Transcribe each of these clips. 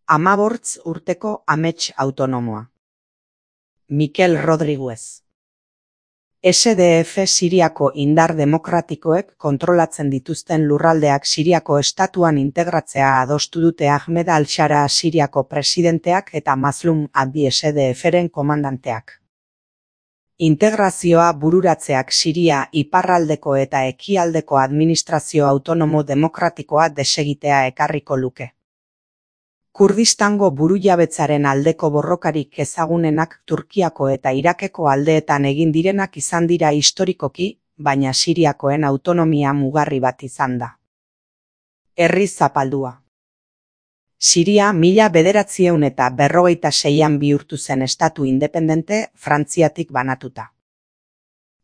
15 urteko amets autonomoa. Mikel Rodriguez. SDF Siriako indar demokratikoek kontrolatzen dituzten lurraldeak Siriako estatuan integratzea adostu dute Ahmed al-Shara Siriako presidenteak eta Mazlum Abdi SDFren komandanteak. Integrazioa bururatzeak Siria iparraldeko eta ekialdeko administrazio autonomo demokratikoa desegitea ekarriko luke. Kurdistango burujabetzaren aldeko borrokarik ezagunenak Turkiako eta Irakeko aldeetan egin direnak izan dira historikoki, baina Siriakoen autonomia mugarri bat izan da. Herri zapaldua. Siria 1946an bihurtu zen estatu independente Frantziatik banatuta.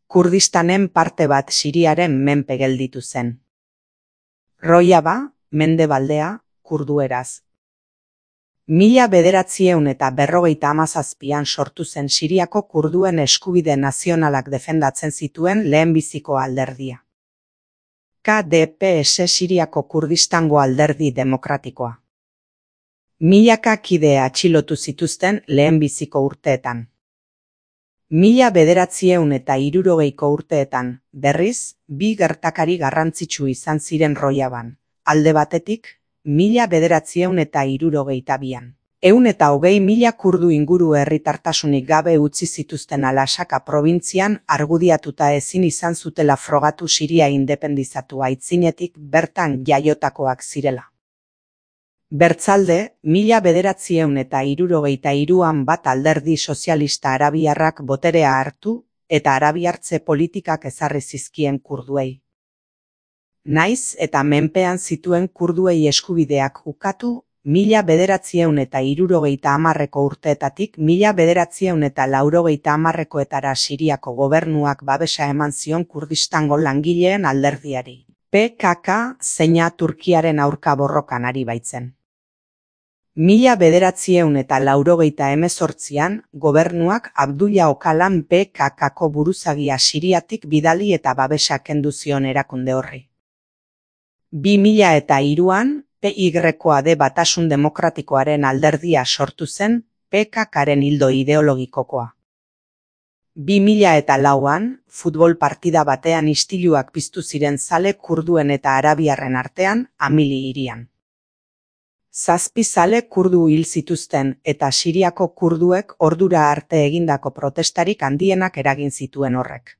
Kurdistanen parte bat Siriaren menpe gelditu zen. Rojava, mendebaldea, kurdueraz. 1947an sortu zen Siriako kurduen eskubide nazionalak defendatzen zituen lehenbiziko alderdia. KDPS Siriako Kurdistango alderdi demokratikoa. Milaka kide atxilotu zituzten lehenbiziko urteetan. 1960ko urteetan, berriz, bi gertakari garrantzitsu izan ziren Rojavan. Alde batetik, 1962an. 120.000 kurdu inguru herritartasunik gabe utzi zituzten Al-Asaka probintzian argudiatuta ezin izan zutela frogatu Siria independizatu aitzinetik bertan jaiotakoak zirela. Bertzalde, 1963an bat alderdi sozialista arabiarrak boterea hartu eta arabiartze politikak ezarri zizkien kurduei. Naiz eta menpean zituen kurduei eskubideak ukatu, 1970ko urteetatik 1980koetara Siriako gobernuak babesa eman zion Kurdistango langileen alderdiari. PKK zeina Turkiaren aurka borrokan ari baitzen. 1988an gobernuak Abdullah Öcalan PKKko buruzagia Siriatik bidali eta babesa kendu zion erakunde horri. 2003an PYD Batasun Demokratikoaren alderdia sortu zen PKKren ildo ideologikokoa. 2004an futbol partida batean istiluak piztu ziren zale kurduen eta arabiarren artean Amili hirian. 7 zale kurdu hil zituzten eta Siriako kurduek ordura arte egindako protestarik handienak eragin zituen horrek.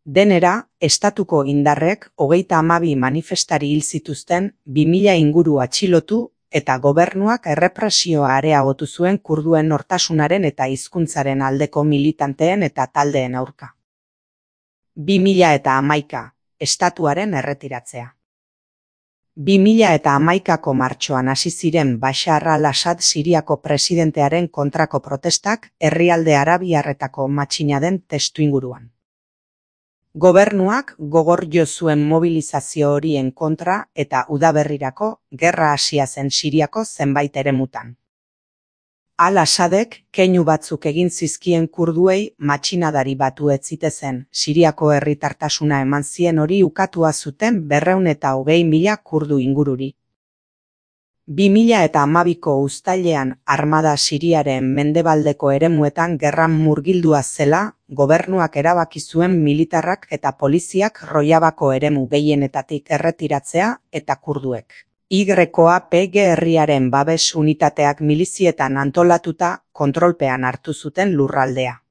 Denera, estatuko indarrek 32 manifestari hil zituzten, 2000 inguru atxilotu eta gobernuak errepresioa areagotu zuen kurduen nortasunaren eta hizkuntzaren aldeko militanteen eta taldeen aurka. 2011, estatuaren erretiratzea. 2011ko martxoan hasi ziren Bashar al-Assad Siriako presidentearen kontrako protestak herrialde arabiarretako matxina den testuinguruan. Gobernuak gogor jo zuen mobilizazio horien kontra eta udaberrirako gerra hasia zen Siriako zenbait eremutan. Al-Assadek keinu batzuk egin zizkien kurduei matxinadari batu ez zitezen, Siriako herritartasuna eman zien hori ukatua zuten 220.000 kurdu ingururi. 2012ko uztailean armada Siriaren mendebaldeko eremuetan gerran murgildua zela, gobernuak erabaki zuen militarrak eta poliziak Rojavako eremu gehienetatik erretiratzea eta kurduek. YPG herriaren babes unitateak milizietan antolatuta kontrolpean hartu zuten lurraldea.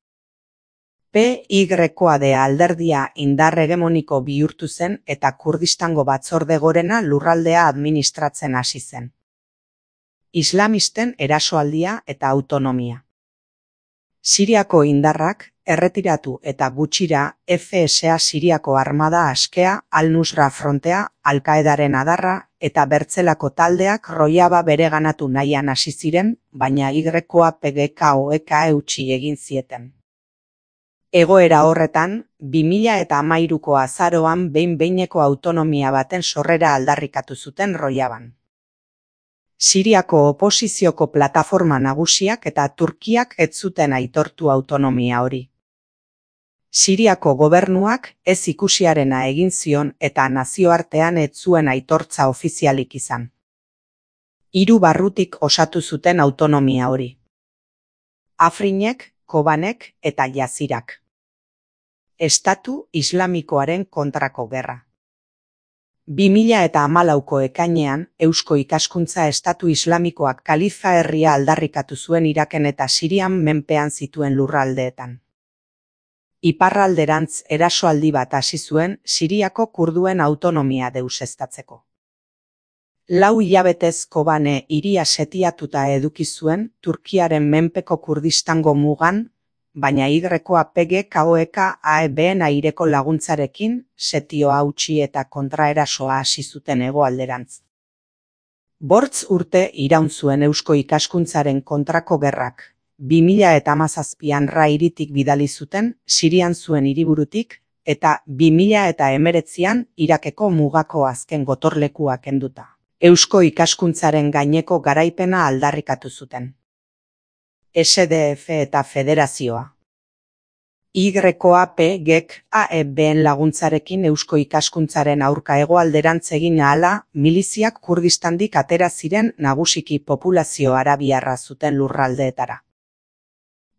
PYD alderdia indar hegemoniko bihurtu zen eta Kurdistango batzorde gorena lurraldea administratzen hasi zen. Islamisten erasoaldia eta autonomia. Siriako indarrak erretiratu eta gutxira FSA Siriako armada askea, Al-Nusra frontea, Al-Qaedaren adarra eta bertzelako taldeak Rojava bereganatu nahian hasi ziren, baina YPG-ek eutsi egin zieten. Egoera horretan, 2013ko azaroan behin-behineko autonomia baten sorrera aldarrikatu zuten Rojavan. Siriako oposizioko plataforma nagusiak eta Turkiak ez zuten aitortu autonomia hori. Siriako gobernuak ez ikusiarena egin zion eta nazioartean ez zuen aitortza ofizialik izan. Hiru barrutik osatu zuten autonomia hori: Afrinek, Kobanek eta Jazirak. Estatu Islamikoaren kontrako gerra. 2014ko ekainean, Eusko Ikaskuntza Estatu Islamikoak kalifa herria aldarrikatu zuen Iraken eta Sirian menpean zituen lurraldeetan. Iparralderantz erasoaldi bat hasi zuen Siriako kurduen autonomia deuseztatzeko. 4 hilabetez Kobane hiria setiatuta eduki zuen Turkiaren menpeko Kurdistango mugan, baina YPG-KOEK-AEB-en aireko laguntzarekin setioa hautsi eta kontraerasoa hasi zuten hegoalderantz. 5 urte iraun zuen Eusko Ikaskuntzaren kontrako gerrak. 2017an hiritik bidali zuten Sirian zuen hiriburutik, eta 2019an Irakeko mugako azken gotorlekua kenduta Eusko Ikaskuntzaren gaineko garaipena aldarrikatu zuten. SDF eta Federazioa. YPG-AEB-en laguntzarekin Eusko Ikaskuntzaren aurka hegoalderantz egin ahala, miliziak Kurdistandik atera ziren nagusiki populazio arabiarra zuten lurraldeetara.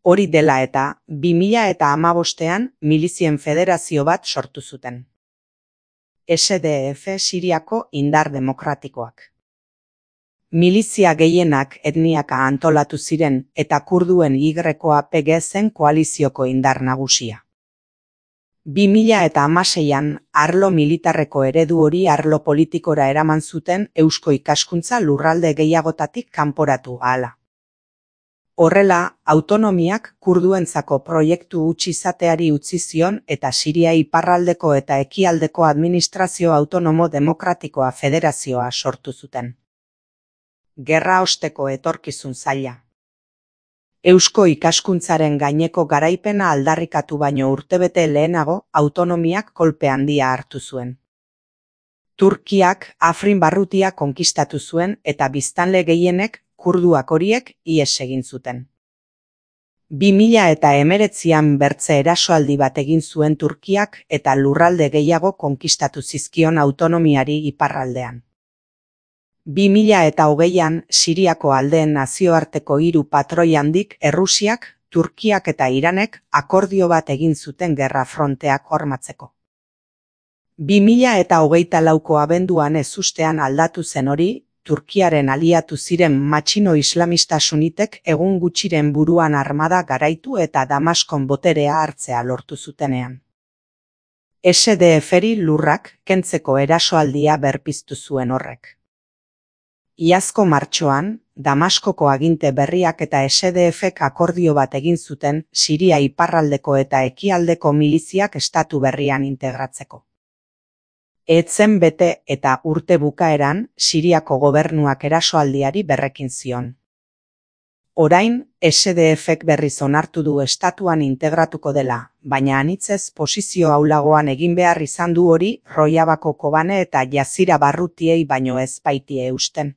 Hori dela eta, 2015ean milizien federazio bat sortu zuten. SDF Siriako indar demokratikoak. Milizia gehienak etniaka antolatu ziren eta kurduen YPG zen koalizioko indar nagusia. 2016an arlo militarreko eredu hori arlo politikora eraman zuten Eusko Ikaskuntza lurralde gehiagotatik kanporatu ahala. Horrela, autonomiak kurduentzako proiektu huts izateari utzi zion eta Siria iparraldeko eta ekialdeko administrazio autonomo demokratikoa federazioa sortu zuten. Gerra osteko etorkizun zaila. Eusko Ikaskuntzaren gaineko garaipena aldarrikatu baino urtebete lehenago autonomiak kolpe handia hartu zuen. Turkiak Afrin barrutia konkistatu zuen eta biztanle gehienek kurduak horiek ihes egin zuten. 2019an bertze erasoaldi bat egin zuen Turkiak eta lurralde gehiago konkistatu zizkion autonomiari iparraldean. 2020an Siriako aldeen nazioarteko 3 patroi handik Errusiak, Turkiak eta Iranek akordio bat egin zuten gerra fronteak hormatzeko. 2024ko abenduan ezustean aldatu zen hori, Turkiaren aliatu ziren matxino islamista sunitek egun gutxiren buruan armada garaitu eta Damaskon boterea hartzea lortu zutenean. SDF-ri lurrak kentzeko erasoaldia berpiztu zuen horrek. Iazko martxoan, Damaskoko aginte berriak eta SDF-ek akordio bat egin zuten Siria iparraldeko eta ekialdeko miliziak estatu berrian integratzeko. Etzen bete eta urte bukaeran Siriako gobernuak erasoaldiari berrekin zion. Orain, SDF-ek berriz onartu du estatuan integratuko dela, baina anitzez posizio ahulagoan egin behar izan du hori Rojavako Kobane eta Jazira barrutiei baino ez baitie eusten.